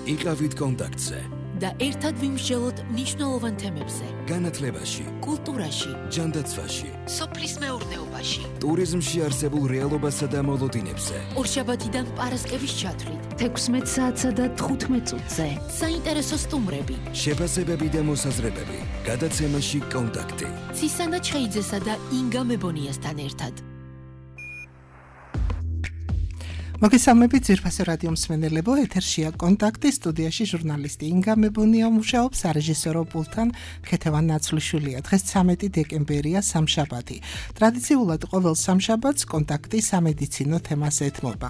იყავით კონტაქტზე და ერთად ვიმსჯელოთ მნიშვნელოვან თემებზე. განათლებაში, კულტურაში, ჯანდაცვაში, სოფლის მეურნეობაში, ტურიზმში არსებულ რეალობასა და მოლოდინებზე. ორშაბათიდან პარასკევის ჩათვლით, 16 საათსა და 15 წუთზე. საინტერესო სტუმრები, შეფასებები და მოსაზრებები. გადაცემაში კონტაქტი. ცისანა ჩხეიძესა და ინგა მებონიასთან ერთად. მოგესალმებით ძვირფასო რადიო მსმენელებო, ეთერშია კონტაქტი, სტუდიაში ჟურნალისტი ინგა მებონია მუშაობს, სარეჟისორო პულტთან ქეთევან ნაცვლიშვილია. დღეს 13 დეკემბერია, სამშაბათი. ტრადიციულად ყოველ სამშაბათს კონტაქტი სამედიცინო თემას ეთმობა.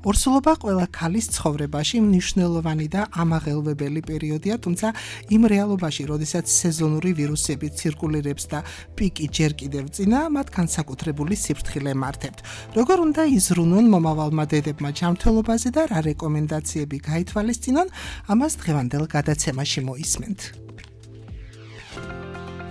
ორსულობა ყველა ქალის ცხოვრებაში მნიშვნელოვანი და ამაღელვებელი პერიოდია, თუმცა იმ რეალობაში, როდესაც სეზონური ვირუსები ცირკულირებს და პიკი ჯერ კიდევ წინა, მათ განსაკუთრებული სიფრთხილე მართავთ. როგორ უნდა იზრუნონ მომავალმა დედებმა ჯანმრთელობაზე და რა რეკომენდაციები გაითვალისწინონ, ამას დღევანდელ გადაცემაში მოისმენთ.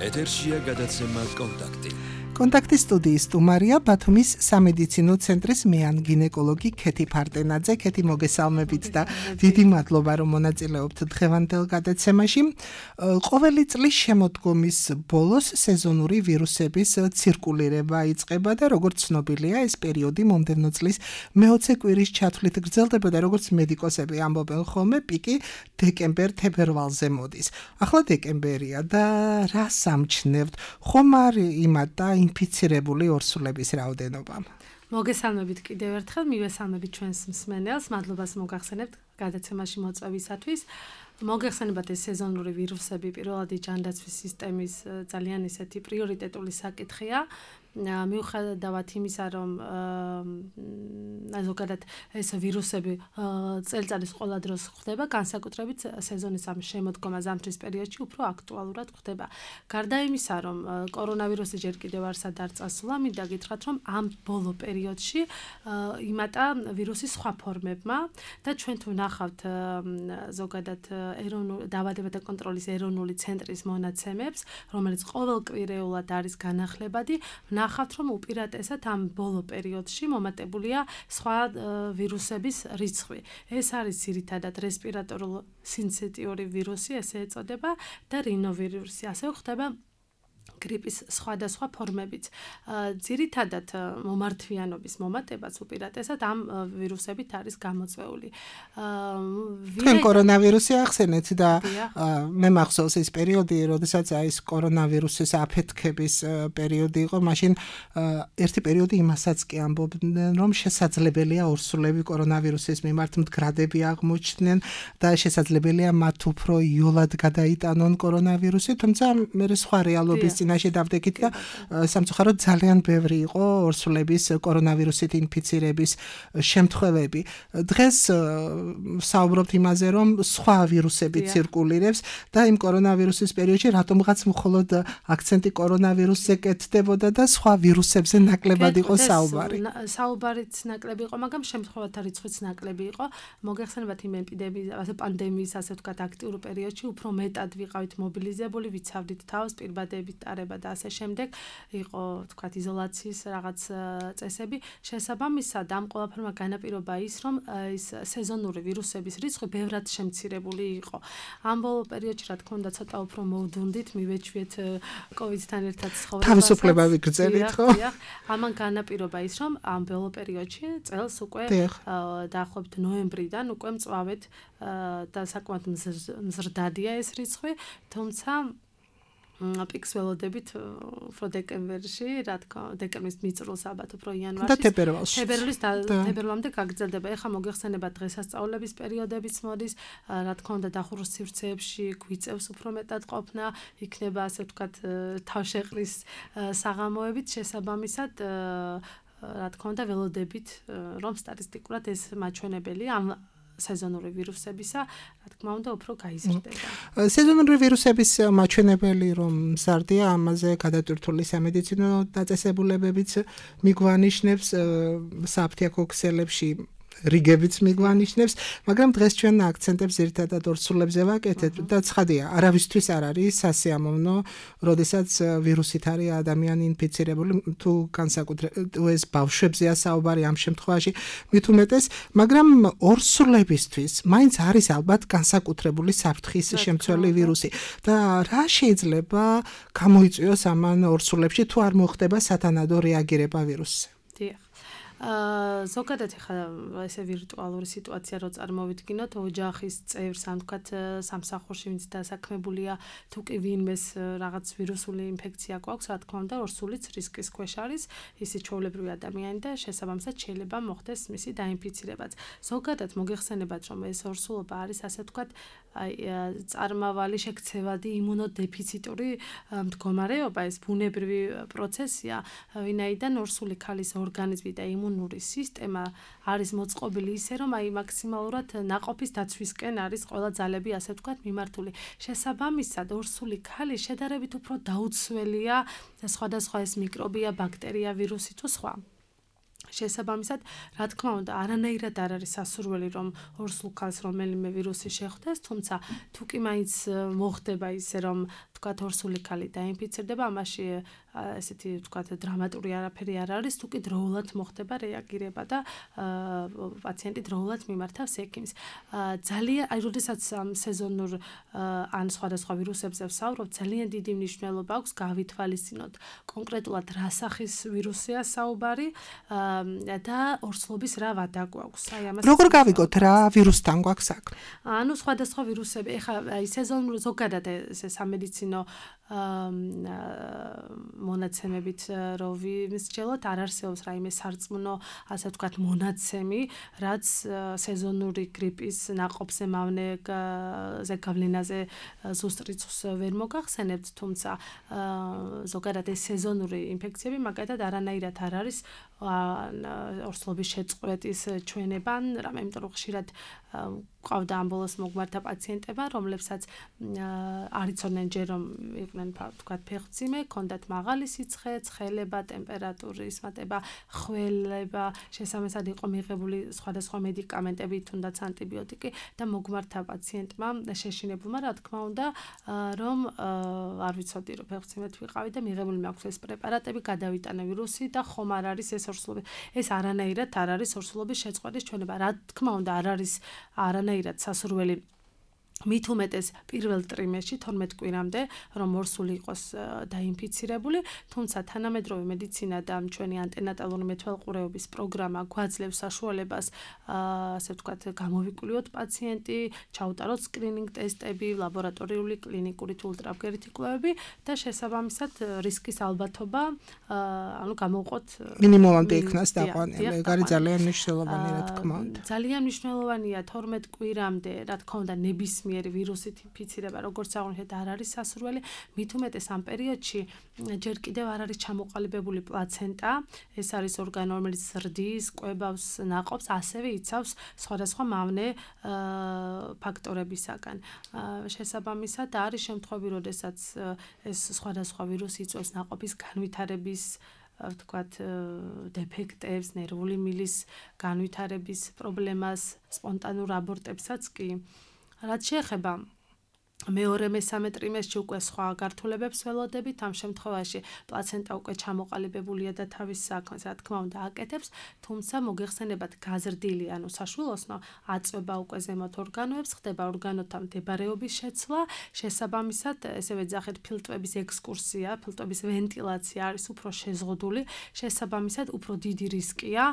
ეთერშია გადაცემა კონტაქტი. კონტაქტის სტუდიის სტუმარია ბათუმის სამედიცინო ცენტრის მეან გინეკოლოგი ქეთი ფარტენაძე. ქეთი, მოგესალმებით და დიდი მადლობა, რომ მონაწილეობთ დღევანდელ გადაცემაში. ყოველი წლის შემოდგომის ბოლოს სეზონური ვირუსების ცირკულირება იწყება და როგორც ცნობილია, ეს პერიოდი მომდევნო წლის მე-20 კვირის ჩათვლით გრძელდება და როგორც მედიკოსები ამბობენ ხოლმე, პიკი დეკემბერ-თებერვალზე მოდის. ახლა დეკემბერია და რა სამჩნევთ? ხომ არ იმატა ინფიცირებული ორსულების რაოდენობა. მოგესალმებით კიდევ ერთხელ, მივესალმებით ჩვენს მსმენელს, მადლობას მოგახსენებთ გადაცემაში მოწვევისათვის. მოგეხსენებათ ეს სეზონური ვირუსები პირველად ჯანდაცვის სისტემის ძალიან ისეთი პრიორიტეტული საკითხია. მიუხედავად იმისა, რომ ზოგადად ეს ვირუსები წელიწადის ყველა დროს ხდება, განსაკუთრებით სეზონის ამ შემოდგომა ზამთრის პერიოდში უფრო აქტუალურად ხდება. გარდა იმისა, რომ კორონავირუსი ჯერ კიდევ არ სადარწასულა, მინდა გითხრათ, რომ ამ ბოლო პერიოდში იმატა ვირუსის სხვა ფორმებმა და ჩვენ თუ ვნახავთ ზოგადად დაავადებათა კონტროლის ეროვნული ცენტრის მონაცემებს, რომელიც ყოველკვირეულად არის განახლებადი, ვნახავთ, რომ უპირატესად ამ ბოლო პერიოდში მომატებულია სხვა ვირუსების რიცხვი. ეს არის ძირითადად რესპირატორულ სინციტიური ვირუსი, ესე ეწოდება და რინოვირუსი, ასევე ხდება გრიპის სხვადასხვა ფორმებიც. ძირითადად მომართვიანობის მომატებას უპირატესად ამ ვირუსებით არის გამოწვეული. თქვენ კორონავირუსი ახსენეთ და მე მახსოვს ეს პერიოდი, როდესაც ეს კორონავირუსის აფეთქების პერიოდი იყო, მაშინ ერთი პერიოდი იმასაც კი ამბობდნენ, რომ შესაძლებელია ორსულები კორონავირუსის მიმართ მდგრადები აღმოჩნდნენ და შესაძლებელია მათ უფრო იოლად გადაიტანონ კორონავირუსი, თუმცა მე სხვა რეალობის წინაშე დავდექით და სამწუხაროდ ძალიან ბევრი იყო ორსულების კორონავირუსით ინფიცირების შემთხვევები. დღეს საუბრობთ იმაზე, რომ სხვა ვირუსები ცირკულირებს და იმ კორონავირუსის პერიოდში რატომღაც მხოლოდ აქცენტი კორონავირუსზე კეთდებოდა და სხვა ვირუსებზე ნაკლებად იყო საუბარი. საუბარიც ნაკლები იყო, მაგრამ შემთხვევათა რიცხვიც ნაკლები იყო. მოგეხსენებათ იმ ეპიდემიის, პანდემიის, ასე ვთქვათ, აქტიურ პერიოდში უფრო მეტად ვიყავით მობილიზებული, ვიცავდით თავს, პირბადებით ტარება და ასე შემდეგ, იყო თქვათ იზოლაციის რაღაც წესები. შესაბამისად, ამ ყველაფერმა განაპირობა ის, რომ ის სეზონური ვირუსების რიცხვი ბევრად შემცირებული იყო. ამ ბოლო პერიოდში, რა თქმა უნდა, ცოტა უფრო მოვდუნდით, მივეჩვიეთ კოვიდთან ერთად ცხოვრებას. თავისუფლება ვიგრძელით, ხო? ამან განაპირობა ის, რომ ამ ბოლო პერიოდში წელს უკვე დაახლოებით ნოემბრიდან უკვე მწვავედ და საკმაოდ მზრდადია ეს რიცხვი, თუმცა პიკს ველოდებით უფრო დეკემბერში, რა თქმა უნდა, დეკემბრის მიწურულს ალბათ უფრო იანვარში. და თებერვალში. თებერვლამდე გაგრძელდება. ეხლა მოგეხსენებათ დღესასწაულების პერიოდებიც მოდის, რა თქმა უნდა, დახურვის სივრცეებში გვიწევს უფრო მეტად ყოფნა, იქნება ასე ვთქვათ თავშეყრის საღამოებით, შესაბამისად რა თქმა უნდა, ველოდებით, რომ სტატისტიკურად ეს მაჩვენებელი ამ სეზონური ვირუსებისა, რა თქმა უნდა, უფრო გაიზრდება. სეზონური ვირუსების მაჩვენებელი რომ მზარდია, ამაზე გადატვირთული სამედიცინო დაწესებულებებიც მიგვანიშნებს საფთიაქო ქსელებში რიგებიც მიგვანიშნებს, მაგრამ დღეს ჩვენ აქცენტებს ერთადად ორსულებზე ვაკეთებთ და ცხადია, არავისთვის არ არის სასიამოვნო, როდესაც ვირუსით არის ადამიანი ინფიცირებული, თუ განსაკუთრებით ეს ბავშვებზეა საუბარი ამ შემთხვევაში, მით უმეტეს, მაგრამ ორსულებისთვის მაინც არის ალბათ განსაკუთრებული საფრთხის შემცველი ვირუსი და რა შეიძლება გამოიწვიოს ამან ორსულებში თუ არ მოხდება სათანადო რეაგირება ვირუსზე. დიახ. ზოგადად ხა ესე ვირტუალური სიტუაცია რო წარმოვიდგინოთ ოჯახის წევრს ან თქვათ სამსახურში ვინც დასაქმებულია თუ კი ვინმეს რაღაც ვირუსული ინფექცია გვაქვს რა თქმა უნდა ორსულიც რისკის ქვეშ არის ისიც ჩვეულებრივი ადამიანი და შესაბამისად შეიძლება მოხდეს მისი დაინფიცირებაც ზოგადად მოგეხსენებათ რომ ეს ორსულობა არის ასე თქვათ წარმავალი შექცევადი იმუნოდეფიციტური მდგომარეობა ეს ბუნებრივი პროცესია ვინაიდან ორსული ქალის ორგანიზმი და იმუნური სისტემა არის მოწყობილი ისე რომ აი მაქსიმალურად ნაყოფის დაცვისკენ არის ყველა ძალები ასე ვთქვათ მიმართული. შესაბამისად ორსული ქალი შედარებით უფრო დაუცველია სხვადასხვა ეს მიკრობია, ბაქტერია, ვირუსი თუ სხვა. შესაბამისად, რა თქმა უნდა, არანაირად არ არის სასურველი რომ ორსულ ქალს რომელიმე ვირუსი შეხვდეს, თუმცა თუ კი მაინც მოხდება ისე რომ თქვათ ორსული ქალი დაინფიცირდება, ამაში ესეთი თქვათ დრამატული არაფერი არ არის, თუ კი დროულად მოხდება რეაგირება და პაციენტი დროულად მიმართავს ექიმს. ძალიან აი როდესაც სეზონურ ან სხვადასხვა ვირუსებზე ვსაუბრობ, ძალიან დიდი მნიშვნელობა აქვს გავითვალისწინოთ კონკრეტულად რა სახის ვირუსია საუბარი და ორსულობის რა ვადა გვაქვს. აი ამას როგორ გავიგოთ რა ვირუსთან გვაქვს საქმე? ანუ სხვადასხვა ვირუსები, ეხლა აი სეზონურ ზოგადად ეს სამედიცინო მონაცემებით რო ვიმსჯელოთ არ არსებობს რაიმე სარწმუნო ასე ვთქვათ მონაცემი რაც სეზონური გრიპის ნაყოფზე მავნეზე გავლენაზე ზუსტ რიცხვს ვერ მოგახსენებთ თუმცა ზოგადად ეს სეზონური ინფექციები მაგალითად არანაირად არ არის ორსულობის შეწყვეტის ჩვენება ან რამე იმიტომ რომ ხშირად ყავდა ამბოლოს მოგმართა პაციენტებმა რომლებსაც არ იცოდნენ ჯერ რომ იყვნენ თქვათ ფეხმძიმე, ჰქონდათ მაღალი სიცხე, ცხელება, ტემპერატურის მატება, ხველება, შესაბამისად იყო მიღებული სხვადასხვა მედიკამენტები, თუნდაც ანტიბიოტიკი და მოგმართა პაციენტმა შეშინებულმა რა თქმა უნდა რომ არ ვიცოდი რომ ფეხმძიმედ ვიყავი და მიღებული მაქვს ეს პრეპარატები, გადავიტანე ვირუსი და ხომ არ არის ეს ორსულობი. ეს არანაირად არ არის ორსულობის შეწყვეტის ჩვენება. რა თქმა უნდა არ არის არანაირად სასურველი მით უმეტეს პირველ ტრიმესტრში 12 კვირამდე რომ ორსული იყოს დაინფიცირებული, თუმცა თანამედროვე მედიცინა და ჩვენი ანტენატალური მეთვალყურეობის პროგრამა გვაძლევს საშუალებას ასე ვთქვათ გამოვიკვლიოთ პაციენტი, ჩაუტაროთ სკრინინგ ტესტები, ლაბორატორიული, კლინიკური თუ ულტრაბგერითი კვლევები და შესაბამისად რისკის ალბათობა ანუ გამოვყოთ მინიმუმამდე იქნას დაყვანილი. ეგ არის ძალიან მნიშვნელოვანი რა თქმა უნდა. ძალიან მნიშვნელოვანია 12 კვირამდე რა თქმა უნდა ნებისმიერი ვირუსით ინფიცირება როგორც აღნიშნეთ არ არის სასურველი, მით უმეტეს ამ პერიოდში ჯერ კიდევ არ არის ჩამოყალიბებული პლაცენტა, ეს არის ორგანო რომელიც ზრდის, კვებავს ნაყოფს, ასევე იცავს სხვადასხვა მავნე ფაქტორებისაგან. შესაბამისად არის შემთხვევები, როდესაც ეს სხვადასხვა ვირუსი იწვევს ნაყოფის განვითარების ვთქვათ დეფექტებს, ნერვული მილის განვითარების პრობლემას, სპონტანურ აბორტებსაც კი რაც შეეხება მეორე მესამე ტრიმესტრში უკვე სხვა გართულებებს ველოდებით, ამ შემთხვევაში პლაცენტა უკვე ჩამოყალიბებულია და თავის საქმეს რა თქმა უნდა აკეთებს, თუმცა მოგეხსენებათ გაზრდილი, ანუ საშვილოსნო აწვება უკვე ზემოთ ორგანოებს, ხდება ორგანოთა მდებარეობის შეცვლა, შესაბამისად ესევე ძახეთ ფილტვების ექსკურსია, ფილტვების ვენტილაცია არის უფრო შეზღუდული, შესაბამისად უფრო დიდი რისკია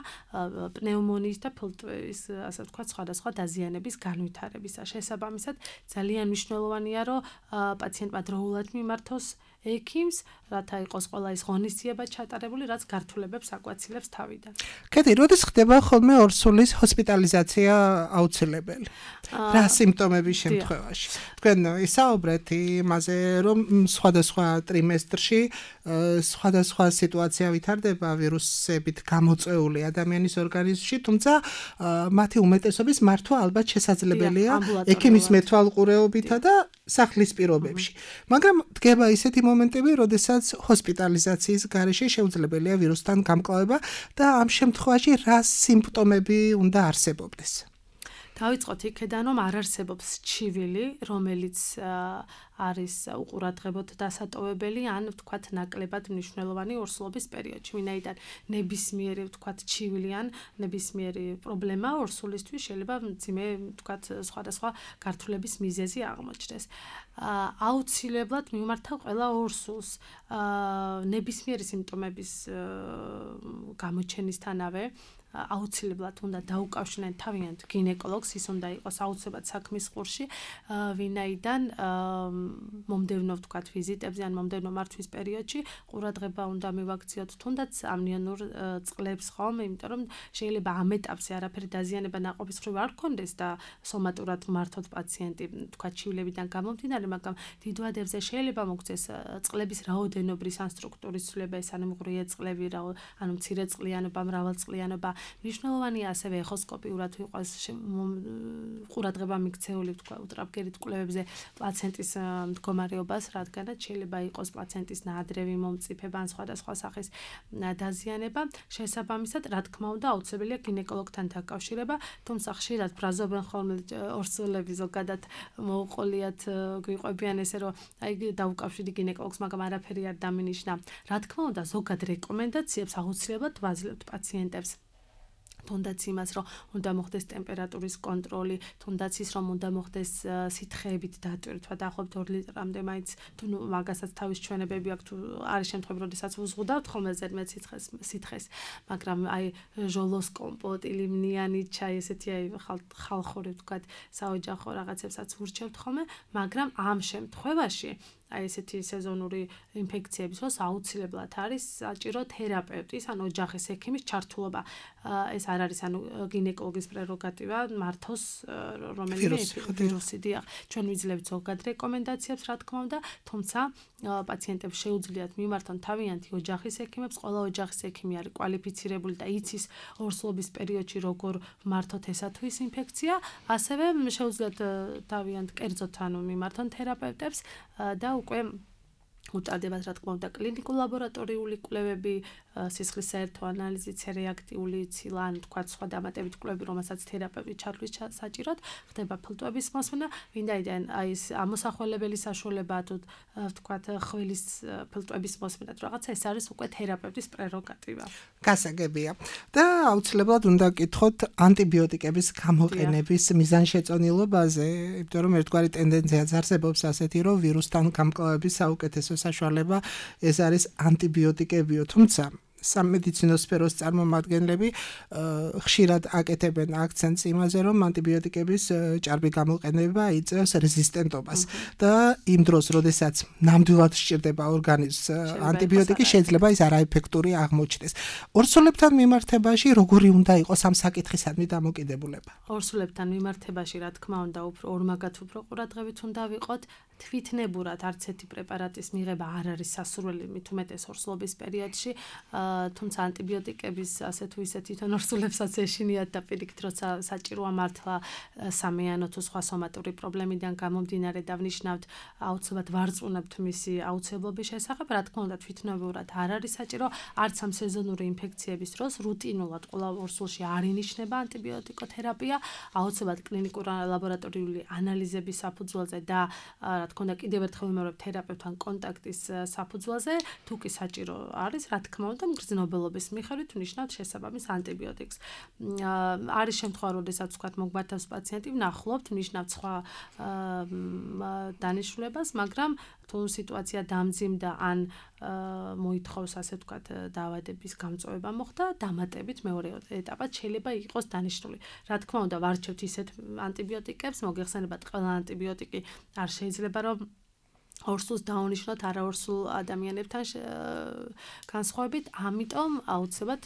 პნევმონიის და ფილტვების ასე ვთქვათ სხვადასხვა დაზიანების განვითარებისა. შესაბამისად ძალიან მნიშვნელოვანია რომ პაციენტმა დროულად მიმართოს ექიმს, რათა იყოს ყველა ის ღონისძიება ჩატარებული, რაც გართულებებს აკვაცილებს თავიდან. კეთილი, როდის ხდება ხოლმე ორსულის ჰოსპიტალიზაცია აუცილებელი? რა სიმპტომების შემთხვევაში? თქვენ ისაუბრეთ იმაზე, რომ სხვადასხვა ტრიმესტრში სხვადასხვა სიტუაცია ვითარდება ვირუსებით გამოწვეული ადამიანის ორგანიზმში, თუმცა მათი უმეტესობის მართვა ალბათ შესაძლებელია ექიმის მეთვალყურეობითა და სახლის პირობებში. მაგრამ დგება ისეთი მომენტები, როდესაც ჰოსპიტალიზაციის გარეშე შეუძლებელია ვირუსთან გამკლავება და ამ შემთხვევაში რა სიმპტომები უნდა არსებობდეს? დავიწყოთ იქედან, რომ არ არსებობს ჩივილი, რომელიც არის უყურადღებოდ დასატოვებელი ან ვთქვათ ნაკლებად მნიშვნელოვანი ორსულობის პერიოდში. ვინაიდან ნებისმიერი ვთქვათ ჩივილი ან ნებისმიერი პრობლემა ორსულისთვის შეიძლება მძიმე ვთქვათ სხვადასხვა გართულების მიზეზი აღმოჩნდეს. აუცილებლად მიმართავ ყველა ორსულს ნებისმიერი სიმპტომების გამოჩენისთანავე აუცილებლად უნდა დაუკავშირდნენ თავიანთ გინეკოლოგს, ის უნდა იყოს აუცილებლად საქმის ყურში, ვინაიდან მომდევნო ვთქვათ ვიზიტებზე ან მომდევნო მართვის პერიოდში ყურადღება უნდა მივაქციოთ თუნდაც ამნიონურ წყლებს ხოლმე, იმიტომ რომ შეიძლება ამ ეტაპზე არაფერი დაზიანება ნაყოფის მხრივ არ გქონდეს და სომატურად მართოთ პაციენტი ვთქვათ ჩივლებიდან გამომდინარე, მაგრამ დიდ ვადებზე შეიძლება მოგვცეს წყლების რაოდენობრის ან სტრუქტურის ცვლილება, ეს ანუ მღრიე წყლები, ანუ მცირე წყლიანობა, მრავალწყლიანობა. მნიშვნელოვანია ასევე ეხოსკოპიურად იყოს ყურადღება მიქცეული თქვა უტრაპგერით კვლევებზე პლაცენტის მდგომარეობას, რადგანაც შეიძლება იყოს პლაცენტის ნაადრევი მომწიფება ან სხვადასხვა სახის დაზიანება. შესაბამისად, რა თქმა უნდა, აუცილებელია გინეკოლოგთან დაკავშირება, თუმცა ხშირად ბრაზობენ ხოლმე ორსულები ზოგადად მოუყოლიათ გვიყვებიან ესე რომ აი დაუკავშირდი გინეკოლოგს, მაგრამ არაფერი არ დამინიშნა. რა თქმა უნდა, ზოგად რეკომენდაციებს აუცილებლად ვაძლევთ პაციენტებს. თუნდაც იმას, რომ უნდა მოხდეს ტემპერატურის კონტროლი, თუნდაც ის, რომ უნდა მოხდეს სითხეებით დატვირთვა, დაახლოებით 2 ლიტრამდე მაინც თუ მაგასაც თავის ჩვენებები აქვს, თუ არის შემთხვევები, როდესაც უზღუდავთ ხოლმე ზედმეტ სითხეს, მაგრამ აი ჟოლოს კომპოტი, ლიმნიანი ჩაი, ესეთი აი ხალხური ვთქვათ, საოჯახო რაღაცებსაც ვურჩევთ ხოლმე, მაგრამ ამ შემთხვევაში აი ესეთი სეზონური ინფექციების დროს აუცილებლად არის საჭირო თერაპევტის ან ოჯახის ექიმის ჩართულობა. ეს არ არის ანუ გინეკოლოგის პრეროგატივა მართოს რომელიმე ვირუსი. დიახ, ჩვენ ვიძლევთ ზოგად რეკომენდაციებს, რა თქმა უნდა, თუმცა პაციენტებს შეუძლიათ მიმართონ თავიანთი ოჯახის ექიმებს. ყველა ოჯახის ექიმი არის კვალიფიცირებული და იცის ორსულობის პერიოდში როგორ მართოთ ესა თუ ის ინფექცია. ასევე შეუძლიათ თავიანთ კერძოდ ანუ მიმართონ თერაპევტებს და უკვე უტარდებათ რა თქმა უნდა კლინიკურ ლაბორატორიული კვლევები, სისხლის საერთო ანალიზი, C-რეაქტიული ცილა, ან თქვა სხვა დამატებით კვლევები, რომელსაც თერაპევტი ჩათვლის საჭიროდ, ხდება ფილტვების მოსმენა, ვინაიდან აი ეს ამოსახველებელი საშუალება თუ თქვა ხვილის ფილტვების მოსმენა თუ რაღაცა, ეს არის უკვე თერაპევტის პრეროგატივა. გასაგებია. და აუცილებლად უნდა გკითხოთ ანტიბიოტიკების გამოყენების მიზანშეწონილობაზე, იმიტომ რომ ერთგვარი ტენდენციაც არსებობს ასეთი, რომ ვირუსთან გამკლავების საუკეთესო საშუალება ეს არის ანტიბიოტიკებიო, თუმცა სამედიცინო სფეროს წარმომადგენლები ხშირად აკეთებენ აქცენტს იმაზე, რომ ანტიბიოტიკების ჭარბი გამოყენება იწევს რეზისტენტობას და იმ დროს, როდესაც ნამდვილად სჭირდება ორგანიზმს ანტიბიოტიკი, შეიძლება ის არაეფექტური აღმოჩნდეს. ორსულებთან მიმართებაში როგორი უნდა იყოს ამ საკითხისადმი დამოკიდებულება? ორსულებთან მიმართებაში, რა თქმა უნდა, უფრო ორმაგად უფრო ყურადღებით უნდა ვიყოთ. თვითნებურად არც ერთი პრეპარატის მიღება არ არის სასურველი, მით უმეტეს ორსულობის პერიოდში. თუმცა ანტიბიოტიკების ასე თუ ისე თვითონ ორსულებსაც ეშინიათ და პირიქით როცა საჭიროა მართლა სამიანო თუ სხვა სომატური პრობლემიდან გამომდინარე და ვნიშნავთ აუცილებლად ვარწმუნებთ მისი აუცილებლობის შესახებ, რა თქმა უნდა თვითნებურად არ არის საჭირო, არც ამ სეზონური ინფექციების დროს რუტინულად ყველა ორსულში არ ინიშნება ანტიბიოტიკოთერაპია, აუცილებლად კლინიკური ლაბორატორიული ანალიზების საფუძველზე და რა თქმა უნდა კიდევ ერთხელ ვიმეორებ თერაპევტთან კონტაქტის საფუძველზე, თუ კი საჭირო არის, რა თქმა უნდა მგრძნობელობის მიხედვით ვნიშნავთ შესაბამის ანტიბიოტიკს. არის შემთხვევა, როდესაც ვთქვათ მოგმართავს პაციენტი, ვნახულობთ, ვნიშნავთ სხვა დანიშნულებას, მაგრამ თუ სიტუაცია დამძიმდა ან მოითხოვს ასე ვთქვათ დაავადების გამწვევა მოხდა, დამატებით მეორე ეტაპად შეიძლება იყოს დანიშნული. რა თქმა უნდა ვარჩევთ ისეთ ანტიბიოტიკებს, მოგეხსენებათ ყველა ანტიბიოტიკი არ შეიძლება რომ ორსულს დაუნიშნოთ არაორსულ ადამიანებთან განსხვავებით, ამიტომ აუცილებლად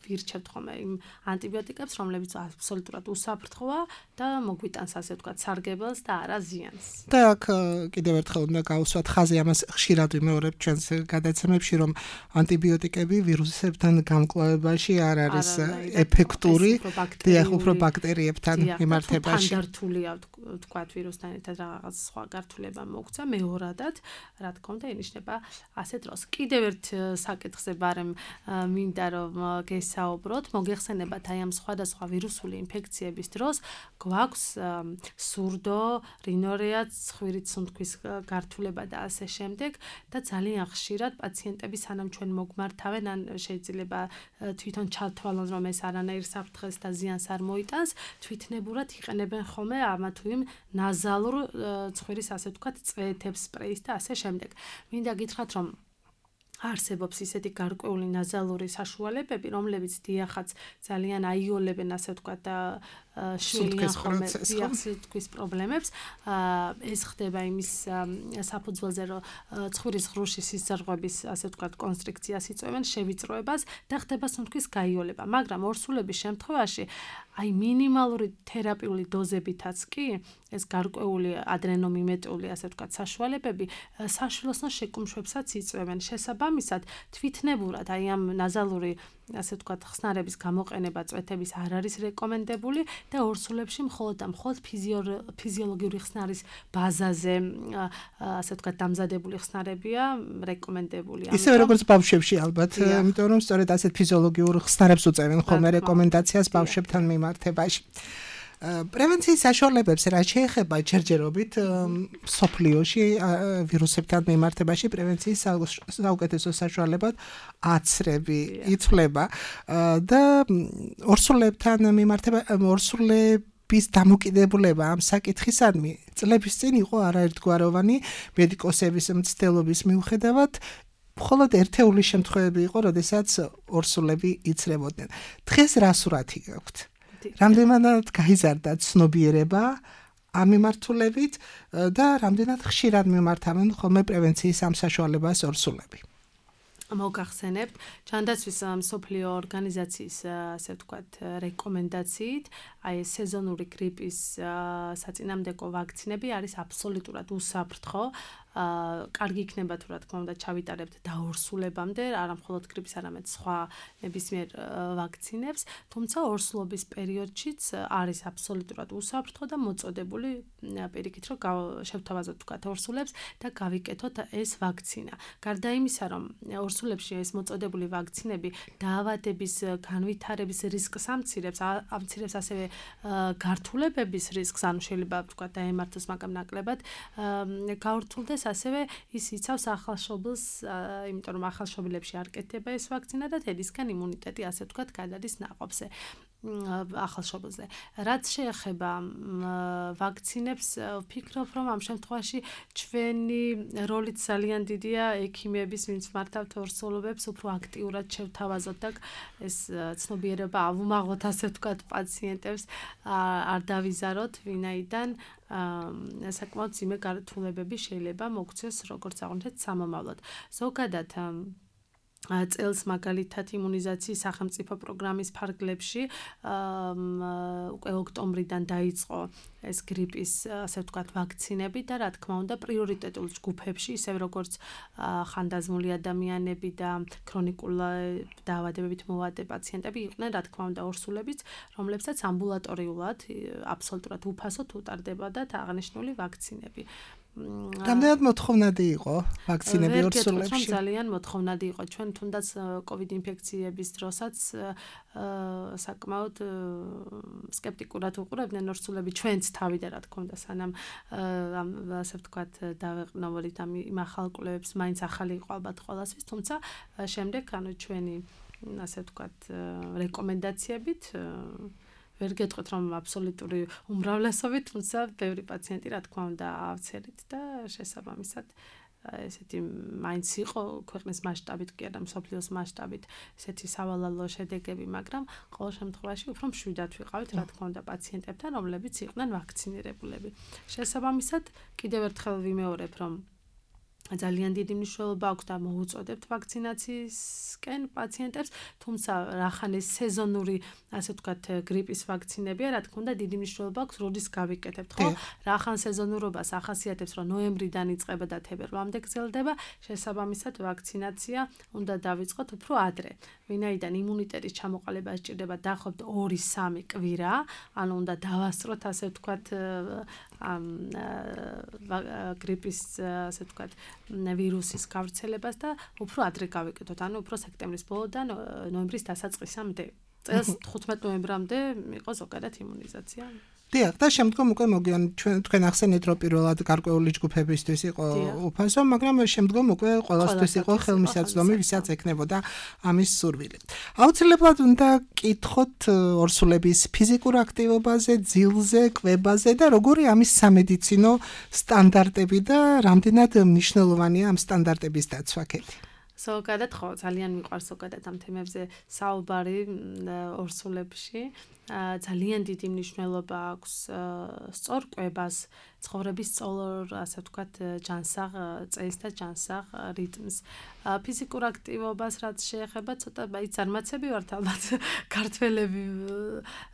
ვირჩევთ ხოლმე იმ ანტიბიოტიკებს, რომლებიც აბსოლუტურად უსაფრთხოა და მოგვიტანს ასე ვთქვათ სარგებელს და არა ზიანს. და აქ კიდევ ერთხელ უნდა გავუსვათ ხაზი, ამას ხშირად ვიმეორებ ჩვენს გადაცემებში, რომ ანტიბიოტიკები ვირუსებთან გამკლავებაში არ არის ეფექტური, დიახ, უფრო ბაქტერიებთან მიმართებაში. ფანდართულია ვთქვათ ვირუსთან ერთად რაღაც სხვა გართულება მოგვცა, მეორადად, რა თქმა უნდა, ინიშნება ასეთ დროს. კიდევ ერთ საკითხზე ბარემ მინდა რომ გესაუბროთ, მოგეხსენებათ აი ამ სხვადასხვა ვირუსული ინფექციების დროს გვაქვს სურდო, რინორეა, ცხვირით სუნთქვის გართულება და ასე შემდეგ და ძალიან ხშირად პაციენტები სანამ ჩვენ მოგმართავენ, ან შეიძლება თვითონ ჩათვალონ რომ ეს არანაირ საფრთხეს და ზიანს არ მოიტანს, თვითნებურად იყენებენ ხოლმე ამა თუ იმ ნაზალურ ცხვირის ასე ვთქვათ წვეთებს, სპრეის და ასე შემდეგ. მინდა გითხრათ რომ არსებობს ისეთი გარკვეული ნაზალური საშუალებები, რომლებიც დიახაც ძალიან აიოლებენ ასე ვთქვათ და შვილიან ხოლმე სუნთქვის პრობლემებს. ეს ხდება იმის საფუძველზე, რომ ცხვირის ღრუში სისხლძარღვების ასე ვთქვათ კონსტრიქციას იწვევენ, შევიწროებას და ხდება სუნთქვის გაიოლება. მაგრამ ორსულების შემთხვევაში აი მინიმალური თერაპიული დოზებითაც კი ეს გარკვეული ადრენომიმეტიული ასე ვთქვათ საშუალებები საშვილოსნო შეკუმშვებსაც იწვევენ. შესაბამისად, თვითნებურად აი ამ ნაზალური ასე ვთქვათ ხსნარების გამოყენება წვეთების არ არის რეკომენდებული და ორსულებში მხოლოდ და მხოლოდ ფიზიოლოგიური ხსნარის ბაზაზე ასე ვთქვათ დამზადებული ხსნარებია რეკომენდებული. ისევე როგორც ბავშვებში ალბათ, იმიტომ რომ სწორედ ასეთ ფიზიოლოგიურ ხსნარებს უწევენ ხოლმე რეკომენდაციას ბავშვებთან მიმართებაში. პრევენციის საშუალებებს რა შეეხება ჯერჯერობით სოფლიოში ვირუსებთან მიმართებაში პრევენციის საუკეთესო საშუალებად აცრები ითვლება და ორსულებთან მიმართება ორსულების დამოკიდებულება ამ საკითხისადმი წლების წინ იყო არაერთგვაროვანი მედიკოსების მცდელობის მიუხედავად მხოლოდ ერთეული შემთხვევები იყო, როდესაც ორსულები იცრებოდნენ. დღეს რა სურათი გაქვთ? რამდენად გაიზარდა ცნობიერება ამ მიმართულებით და რამდენად ხშირად მიმართავენ ხოლმე პრევენციის ამ საშუალებას ორსულები? მოგახსენებთ ჯანდაცვის მსოფლიო ორგანიზაციის ასე ვთქვათ რეკომენდაციით აი სეზონური გრიპის საწინამდებო ვაქცინები არის აბსოლუტურად უსაფრთხო. კარგი იქნება თუ რა თქმა უნდა ჩავიტარებთ დაორსულებამდე, არა მხოლოდ გრიპის, არამედ სხვა ნებისმიერ ვაქცინებს, თუმცა ორსულობის პერიოდშიც არის აბსოლუტურად უსაფრთხო და მოწოდებული პირიქით, რომ შევთავაზოთ თქვათ ორსულებს და გავიკეთოთ ეს ვაქცინა. გარდა იმისა, რომ ორსულებში ეს მოწოდებული ვაქცინები დაავადების განვითარების რისკს ამცირებს ასევე გართულებების რისკს, ანუ შეიძლება თქვათ დაემართოს მაგამ ნაკლებად გავრცელდეს ასევე ის იცავს ახალშობილს, იმიტომ რომ ახალშობილებში არ კეთდება ეს ვაქცინა და თედისგან იმუნიტეტი ასე ვთქვათ გადადის ნაყოფზე. ახალშობილზე. რაც შეეხება ვაქცინებს, ვფიქრობ, რომ ამ შემთხვევაში ჩვენი როლიც ძალიან დიდია ექიმების, ვინც მართავთ ორსულობებს, უფრო აქტიურად შევთავაზოთ და ეს ცნობიერება ავუმაღლოთ ასე ვთქვათ პაციენტებს, არ დავიზაროთ, ვინაიდან საკმაოდ ძიმე გართულებები შეიძლება მოგვცეს როგორც აღვნიშნეთ სამომავლოდ. ზოგადად წელს მაგალითად იმუნიზაციის სახელმწიფო პროგრამის ფარგლებში უკვე ოქტომბრიდან დაიწყო ეს გრიპის ასე ვთქვათ ვაქცინები და რა თქმა უნდა პრიორიტეტულ ჯგუფებში ისევ როგორც ხანდაზმული ადამიანები და ქრონიკული დაავადებებით მოვადი პაციენტები იყვნენ რა თქმა უნდა ორსულებიც, რომლებსაც ამბულატორიულად აბსოლუტურად უფასოდ უტარდებოდათ აღნიშნული ვაქცინები. რამდენად მოთხოვნადი იყო ვაქცინები ორსულებში? ძალიან მოთხოვნადი იყო. ჩვენ თუნდაც COVID ინფექციების დროსაც საკმაოდ სკეპტიკურად უყურებდნენ ორსულები ჩვენც თავიდან რა თქმა უნდა სანამ ასე ვთქვათ დავეყნოვოდით იმ ახალ კვლევებს, მაინც ახალი იყო ალბათ ყველასთვის, თუმცა შემდეგ ანუ ჩვენი ასე ვთქვათ რეკომენდაციებით ვერ გეტყვით რომ აბსოლუტური უმრავლესობით, თუმცა ბევრი პაციენტი რა თქმა უნდა ავცერით და შესაბამისად ესეთი მაინც იყო ქვეყნის მასშტაბით კი არა მსოფლიოს მასშტაბით ესეთი სავალალო შედეგები, მაგრამ ყოველ შემთხვევაში უფრო მშვიდად ვიყავით რა თქმა უნდა პაციენტებთან, რომლებიც იყვნენ ვაქცინირებულები. შესაბამისად კიდევ ერთხელ ვიმეორებ რომ ძალიან დიდი მნიშვნელობა აქვს და მოუწოდებთ ვაქცინაციისკენ პაციენტებს, თუმცა რახანეს სეზონური, ასე ვთქვათ, გრიპის ვაქცინებია, რა თქმა უნდა, დიდი მნიშვნელობა აქვს, როდის გავიკეთებთ, ხო? რახან სეზონურობას ახასიათებს, რომ ნოემბრიდან იწყება და თებერვლამდე გრძელდება, შესაბამისად ვაქცინაცია უნდა დავიწყოთ უფრო ადრე. ვინაიდან იმუნიტეტის ჩამოყალიბება სჭირდება დაახლოებით 2-3 კვირა, ანუ უნდა დავასწროთ, ასე ვთქვათ, გრიპის, ასე ვთქვათ, ვირუსის გავრცელებას და უფრო ადრე გავიკეთოთ, ანუ უფრო სექტემბრის ბოლოდან ნოემბრის დასაწყისამდე. წელს 15 ნოემბრამდე იყო ზოგადად იმუნიზაცია. დიახ, და შემდგომ უკვე თქვენ ახსენეთ, რომ პირველად გარკვეული ჯგუფებისთვის იყო უფასო, მაგრამ შემდგომ უკვე ყველასთვის იყო ხელმისაწვდომი, ვისაც ექნებოდა ამის სურვილი. აუცილებლად უნდა კითხოთ ორსულების ფიზიკურ აქტივობაზე, ძილზე, კვებაზე და როგორი ამის სამედიცინო სტანდარტები და რამდენად მნიშვნელოვანია ამ სტანდარტების დაცვა კეთი. ზოგადად ხო, ძალიან მიყვარს ზოგადად ამ თემებზე საუბარი ორსულებში. ძალიან დიდი მნიშვნელობა აქვს სწორ კვებას, ცხოვრების სწორ, ასე ვთქვათ, ჯანსაღ წესს და ჯანსაღ რიტმს. ფიზიკურ აქტივობას რაც შეეხება, ცოტა ზარმაცები ვართ ალბათ ქართველები,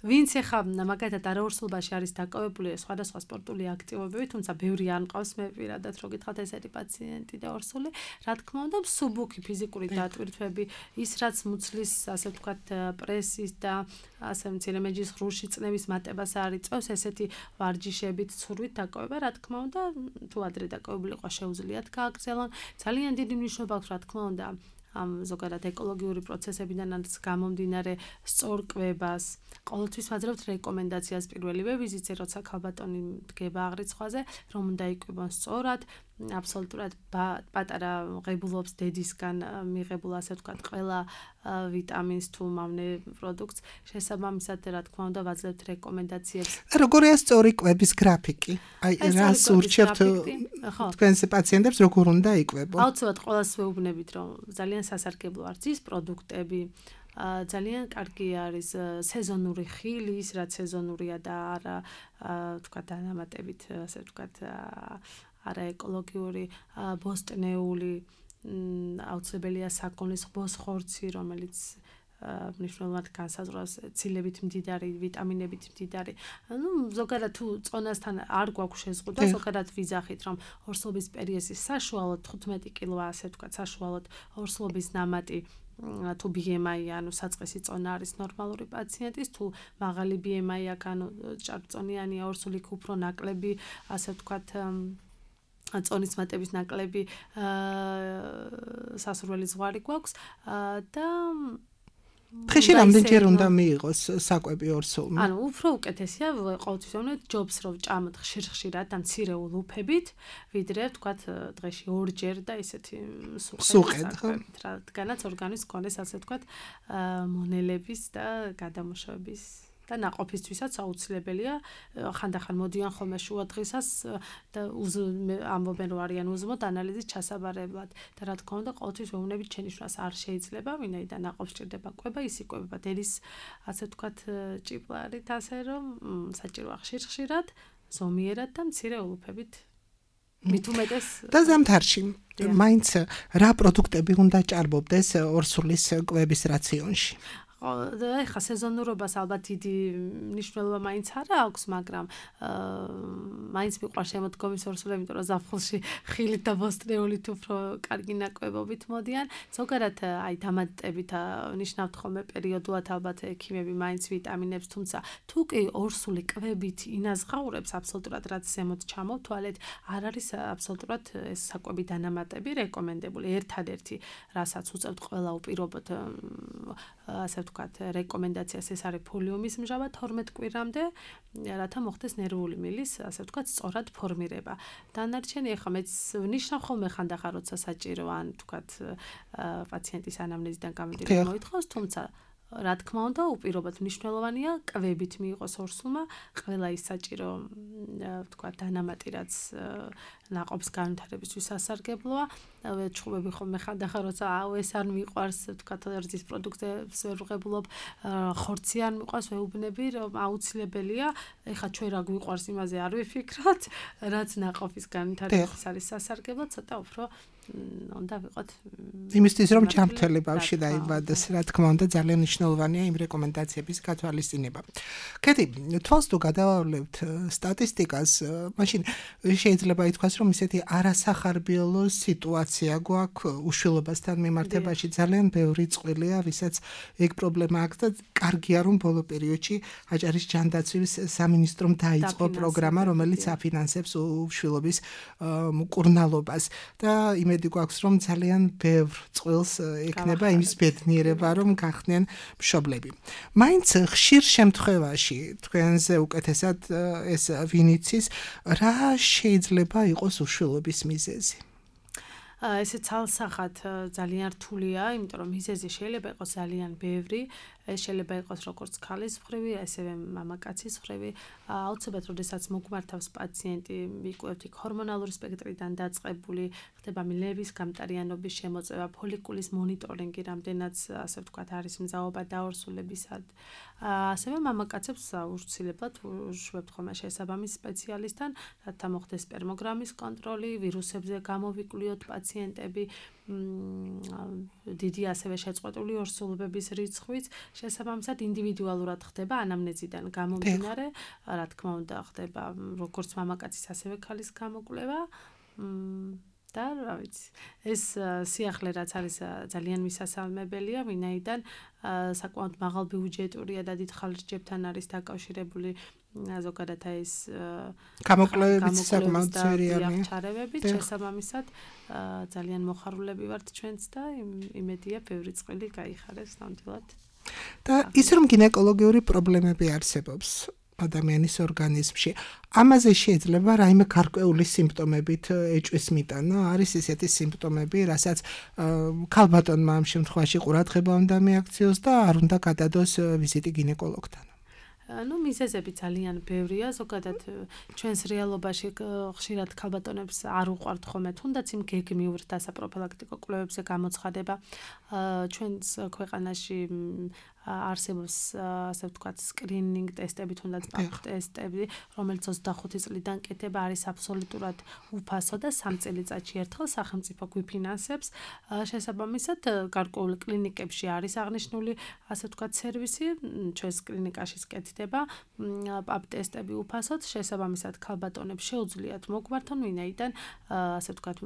ვინც ეხა მაგალითად არაორსულობაში არის დაკავებული სხვადასხვა სპორტული აქტივობებით, თუმცა ბევრი არ მყავს მე პირადად რო გითხრათ ესეთი პაციენტი და ორსული, რა თქმა უნდა, მსუბუქი ფიზიკური დატვირთვები, ის რაც მუცლის, ასე ვთქვათ, პრესის და ასე მცირე მეჯის ღრუში წნევის მატებას არ იწევს, ესეთი ვარჯიშებით, ცურვით დაკავება, რა თქმა უნდა, თუ ადრე დაკავებული ყვა შეუძლიათ გააგრძელონ. ძალიან დიდი მნიშვნელობა აქვს, რა თქმა უნდა, ამ ზოგადად ეკოლოგიური პროცესებიდან გამომდინარე სწორ კვებას. ყოველთვის ვაძლევთ რეკომენდაციას პირველივე ვიზიტზე, როცა ქალბატონი დგება აღრიცხვაზე, რომ უნდა იკვებონ სწორად. აბსოლუტურად პატარა ღებულობს დედისგან მიღებულ, ასე ვთქვათ, ყველა ვიტამინს თუ მავნე პროდუქტს. შესაბამისად, რა თქმა უნდა, ვაძლევთ რეკომენდაციებს. როგორია სწორი კვების გრაფიკი? აი, რას ურჩევთ თქვენს პაციენტებს, როგორ უნდა იკვებონ? აუცილებლად ყოველს ვეუბნებით, რომ ძალიან სასარგებლო არის ის პროდუქტები. ძალიან კარგი არის სეზონური ხილი, ის რაც სეზონურია და არა, ვთქვათ, დანამატებით, ასე ვთქვათ, არაეკოლოგიური, ბოსტნეული, აუცილებელია საქონლის ბოსხორცი, რომელიც მნიშვნელოვნად განსაზღვრავს ცილებით მდიდარი, ვიტამინებით მდიდარი. ანუ ზოგადად თუ წონასთან არ გვაქვს შეზღუდვა, ზოგადად ვიძახით, რომ ორსულობის პერიოდში საშუალოდ 15 კილოა, ასე ვთქვათ, საშუალოდ ორსულობის ნამატი თუ BMI, ანუ საწყისი წონა არის ნორმალური პაციენტის, თუ მაღალი BMI აქვს, ანუ ჭარბწონიანია ორსული უფრო ნაკლები, ასე ვთქვათ, წონის მატების ნაკლები სასურველი ზღვარი გვაქვს და დღეში რამდენჯერ უნდა მიიღოს საკვები ორსულმა? ანუ უფრო უკეთესია ყოველთვის ვამბობთ ჯობს რომ ვჭამოთ ხშირ-ხშირად და მცირე ულუფებით, ვიდრე ვთქვათ დღეში 2 ჯერ და ისეთი სუყედ, რადგანაც ორგანიზმს გქონდეს, ასე ვთქვათ, მონელების და გადამუშავების და ნაყოფისთვისაც აუცილებელია. ხანდახან მოდიან ხოლმე შუა დღისას და ამბობენ რომ არიან უზმოდ ანალიზის ჩასაბარებლად და რა თქმა უნდა ყოველთვის ვეუბნებით შენიშვნას არ შეიძლება, ვინაიდან ნაყოფს სჭირდება კვება, ის იკვებება დედის, ასე ვთქვათ, ჭიპლარით, ასე რომ საჭიროა ხშირ-ხშირად, ზომიერად და მცირე ულუფებით. მით უმეტეს და ზამთარში მაინც რა პროდუქტები უნდა ჭარბობდეს ორსულის კვების რაციონში? ეხა სეზონურობას ალბათ დიდი მნიშვნელობა მაინც არა აქვს, მაგრამ მაინც მიყვარს შემოდგომის ორსულები, იმიტომ რომ ზაფხულში ხილით და ბოსტნეულით უფრო კარგი ნაკვებობით მოდიან. ზოგადად აი დამატებით ნიშნავთ ხოლმე პერიოდულად ალბათ ექიმები მაინც ვიტამინებს, თუმცა თუ კი ორსული კვებით ინაზღაურებს აბსოლუტურად რაც ზემოთ ჩამოვთვალეთ, არ არის აბსოლუტურად ეს საკვები დანამატები რეკომენდებული. ერთადერთი რასაც უწევთ ყველა უპირობოდ ასე ვთქვათ, რეკომენდაციას ეს არის ფოლიუმის მჟავა 12 კვირამდე, რათა მოხდეს ნერვული მილის, ასე ვთქვათ, სწორად ფორმირება. დანარჩენი ახლა მეც ვნიშნავ ხოლმე ხანდახან, როცა საჭირო ან ვთქვათ, პაციენტის ანამნეზიდან გამომდინარე მოითხოვს, თუმცა რა თქმა უნდა, უპირობოდ მნიშვნელოვანია კვებით მიიღოს ორსულმა ყველა ის საჭირო, ვთქვათ, დანამატი, რაც ნაყოფის განვითარებისთვის სასარგებლოა. ჩხუბები ხოლმე ხანდახან როცა ეს არ მიყვარს, ვთქვათ, რძის პროდუქტებს ვერ ვღებულობ, ხორცი არ მიყვარს, ვეუბნები, რომ აუცილებელია, ეხლა ჩვენ რა გვიყვარს იმაზე არ ვიფიქროთ, რაც ნაყოფის განვითარებისთვის არის სასარგებლო, ცოტა უფრო უნდა ვიყოთ იმისთვის რომ ჯანმრთელი ბავშვი დაიბადეს, რა თქმა უნდა, ძალიან მნიშვნელოვანია იმ რეკომენდაციების გათვალისწინება. კეთი, თვალს თუ გადავავლებთ სტატისტიკას, მაშინ შეიძლება ითქვას, რომ ისეთი არასახარბიელო სიტუაცია გვაქვს უშვილობასთან მიმართებაში, ძალიან ბევრი წყვილია, ვისაც ეგ პრობლემა აქვს და კარგია რომ ბოლო პერიოდში აჭარის ჯანდაცვის სამინისტრომ დაიწყო პროგრამა, რომელიც აფინანსებს უშვილობის მკურნალობას და იმედი გვაქვს რომ ძალიან ბევრ წყვილს ექნება იმის ბედნიერება რომ გახდნენ მშობლები. მაინც ხშირ შემთხვევაში თქვენზე უკეთესად ეს ვინიცის რა შეიძლება იყოს უშვილობის მიზეზი? ესე ცალსახად ძალიან რთულია, იმიტომ რომ მიზეზი შეიძლება იყოს ძალიან ბევრი. ეს შეიძლება იყოს როგორც ქალის მხრივი, ასევე მამაკაცის მხრივი. აუცილებლად, როდესაც მოგმართავს პაციენტი, ვიკუევთ იქ ჰორმონალური სპექტრიდან დაწყებული, ხდება მილების გამტარიანობის შემოწევა, ფოლიკულის მონიტორინგი, რამდენიც ასე ვთქვათ, არის მძაობა დაორსულებისად. ასევე მამაკაცებს აუცილებლად ვუშვებთ ხოლმე შესაბამის სპეციალისტთან, რათა მოხდეს სპერმოგრამის კონტროლი, ვირუსებზე გამოვიკვლიოთ პაციენტები, დიდი ასევე შეწყვეტილი ორსულობების რიცხვიც შესაბამისად ინდივიდუალურად ხდება ანამნეზიდან გამომდინარე, რა თქმა უნდა ხდება როგორც მამაკაცის ასევე ქალის გამოკვლევა და რა ვიცი, ეს სიახლე რაც არის ძალიან მისასალმებელია, ვინაიდან საკმაოდ მაღალ ბიუჯეტურია და დიდ ხარჯებთან არის დაკავშირებული ზოგადად ეს გამოკვლევებიც საკმაოდ ძვირიანია. ჩარევებით შესაბამისად ძალიან მოხარულები ვართ ჩვენც და იმედია ბევრი წყილი გაიხარეს ნამდვილად. და ის რომ გინეკოლოგიური პრობლემები არსებობს ადამიანის ორგანიზმში, ამაზე შეიძლება რაიმე გარკვეული სიმპტომებით ეჭვის მიტანა, არის ესეთი სიმპტომები, რასაც ქალბატონმა ამ შემთხვევაში ყურადღება უნდა მიაქციოს და არ უნდა გადადოს ვიზიტი გინეკოლოგთან. მიზეზები ძალიან ბევრია, ზოგადად ჩვენს რეალობაში ხშირად ქალბატონებს არ უყვართ ხოლმე თუნდაც იმ გეგმიურ დასაპროფილაქტიკო კვლევებზე გამოცხადება. ჩვენს ქვეყანაში არსებობს ასე ვთქვათ სკრინინგ ტესტები, თუნდაც პაპ ტესტები, რომელიც 25 წლიდან კეთება, არის აბსოლუტურად უფასო და 3 წელიწადში ერთხელ სახელმწიფო გვიფინანსებს. შესაბამისად, გარკვეულ კლინიკებში არის აღნიშნული ასე ვთქვათ სერვისი, ჩვენს კლინიკაშიც კეთდება პაპ ტესტები უფასოდ, შესაბამისად ქალბატონებს შეუძლიათ მოგვართონ, ვინაიდან ასე ვთქვათ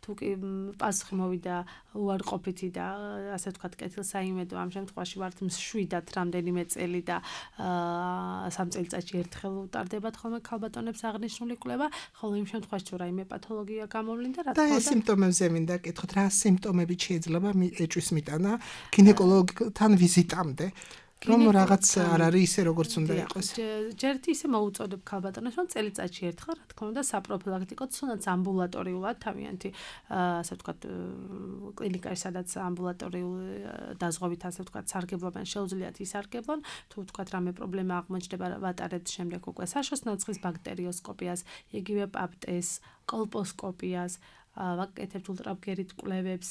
თუ კი პასუხი მოვიდა უარყოფითი და ასე ვთქვათ კეთილსაიმედო, ამ შემთხვევაში ვართ მშვიდად რამდენიმე წელი და 3 წელიწადში ერთხელ უტარდებათ ხოლმე ქალბატონებს აღნიშნული კვლევა, ხოლო იმ შემთხვევაში თუ რაიმე პათოლოგია გამოვლინდა, რა თქმა უნდა. და ეს სიმპტომებზე მინდა კითხოთ, რა სიმპტომებით შეიძლება ეჭვის მიტანა გინეკოლოგთან ვიზიტამდე? რომ რაღაც არ არის ისე როგორც უნდა იყოს. ჯერთ ისე მოუწოდებ ქალბატონებს, რომ წელიწადში ერთხელ, რა თქმა უნდა, საპროფილაქტიკოდ, თუნდაც ამბულატორიულად თავიანთი, ასე ვთქვათ, კლინიკაში, სადაც ამბულატორიული დაზღვევით, ასე ვთქვათ, სარგებლობენ, შეუძლიათ ისარგებლონ, თუ ვთქვათ, რამე პრობლემა აღმოჩნდება, ვატარებთ შემდეგ უკვე საშოს ნაცხის ბაქტერიოსკოპიას, იგივე პაპ ტესტს, კოლპოსკოპიას, ვაკეთებთ ულტრაბგერით კვლევებს.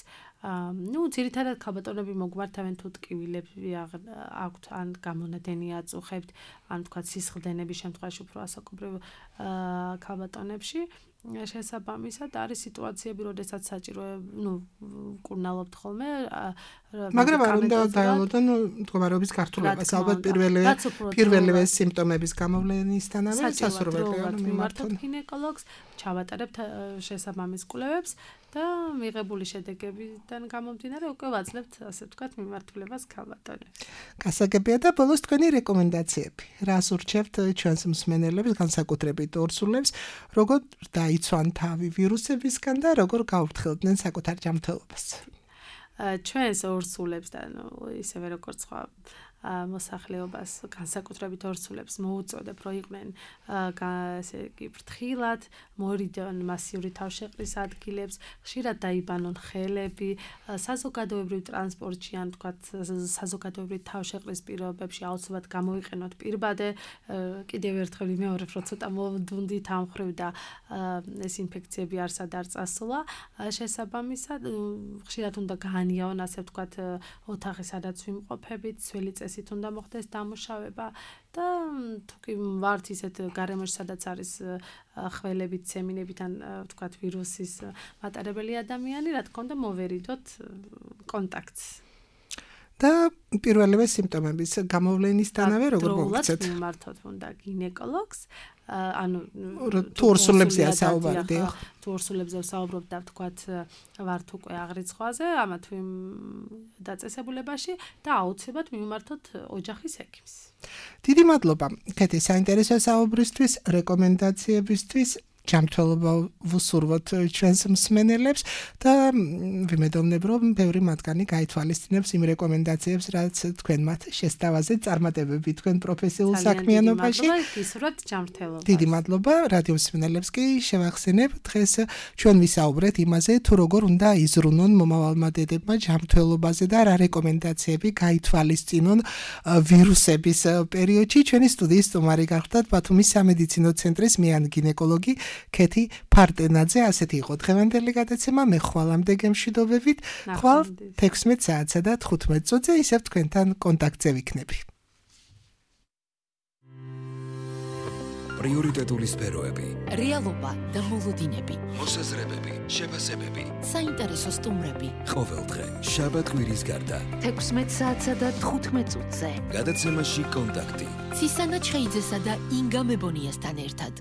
ძირითადად ქალბატონები მოგვართავენ თუ ტკივილები აქვთ ან გამონადენი აწუხებთ, ან თქვა სისხლდენების შემთხვევაში უფრო ასაკობრივ ქალბატონებში. შესაბამისად არის სიტუაციები, როდესაც საჭირო, მკურნალობთ ხოლმე, მაგრამ არ უნდა დაელოდონ მდგომარეობის გართულებას, ალბათ პირველივე სიმპტომების გამოვლენისთანავე სასურველია მიმართოთ გინეკოლოგს, ჩავატარებთ შესაბამის კვლევებს და მიღებული შედეგებიდან გამომდინარე უკვე ვაძლევთ, ასე ვთქვათ, მიმართულებას ქალბატონებს. გასაგებია და ბოლოს თქვენი რეკომენდაციები. რას ურჩევთ ჩვენს მსმენელებს, განსაკუთრებით ორსულებს, როგორ დაიცვან თავი ვირუსებისგან და როგორ გაუფრთხილდნენ საკუთარ ჯანმრთელობას? ჩვენს ორსულებს და ისევე როგორც სხვა მოსახლეობას განსაკუთრებით ორსულებს მოუწოდებ, რომ იყვნენ ესე იგი ფრთხილად, მორიდონ მასიური თავშეყრის ადგილებს, ხშირად დაიბანონ ხელები, საზოგადოებრივ ტრანსპორტში ან თქვათ საზოგადოებრივ თავშეყრის პირობებში აუცილებლად გამოიყენოთ პირბადე, კიდევ ერთხელ ვიმეორებ, რომ ცოტა მოვდუნდით ამ მხრივ და ეს ინფექციები არსად არ წასულა. შესაბამისად, ხშირად უნდა გაანიავონ, ასე ვთქვათ, ოთახი, სადაც ვიმყოფებით, ძველი წესით უნდა მოხდეს დამუშავება და თუ კი ვართ ისეთ გარემოში, სადაც არის ხველებით, სემინებით ან ვთქვათ ვირუსის მატარებელი ადამიანი, რა თქმა უნდა მოვერიდოთ კონტაქტს. და პირველივე სიმპტომების გამოვლენისთანავე როგორ მოგცეთ? მიმართოთ უნდა გინეკოლოგს, ანუ თუ ორსულებზეა საუბარი, თუ ორსულებზე ვსაუბრობ და ვთქვათ ვართ უკვე აღრიცხვაზე, ამა თუ იმ დაწესებულებაში და აუცილებლად მიმართოთ ოჯახის ექიმს. დიდი მადლობა კეთი საინტერესო საუბრისთვის, რეკომენდაციებისთვის. ჯანმრთელობა ვუსურვოთ ჩვენს მსმენელებს და ვიმედოვნებ, რომ ბევრი მათგანი გაითვალისწინებს იმ რეკომენდაციებს, რაც თქვენ მათ შესთავაზეთ წარმატებები თქვენ პროფესიულ საქმიანობაში. გისურვებთ ჯანმრთელობას. დიდი მადლობა რადიო მსმენელებს კი შევახსენებ, დღეს ჩვენ ვისაუბრეთ იმაზე, თუ როგორ უნდა იზრუნონ მომავალმა დედებმა ჯანმრთელობაზე და რა რეკომენდაციები გაითვალისწინონ ვირუსების პერიოდში. ჩვენი სტუდიის სტუმარი გახლდათ ბათუმის სამედიცინო ცენტრის მეან გინეკოლოგი კეთი ფარტენაძე. ასეთი იყო დღევანდელი გადაცემა. მე ხვალამდე გემშვიდობებით. ხვალ 16 საათსა და 15 წუთზე ისევ თქვენთან კონტაქტზე ვიქნები. პრიორიტეტული სფეროები, რეალობა და მოლოდინები, მოსაზრებები, შეფასებები, საინტერესო სტუმრები. ყოველდღე შაბათ-კვირის გარდა 16 საათსა და 15 წუთზე. გადაცემაში კონტაქტი. ცისანა ჩხეიძესა და ინგა მებონიასთან ერთად.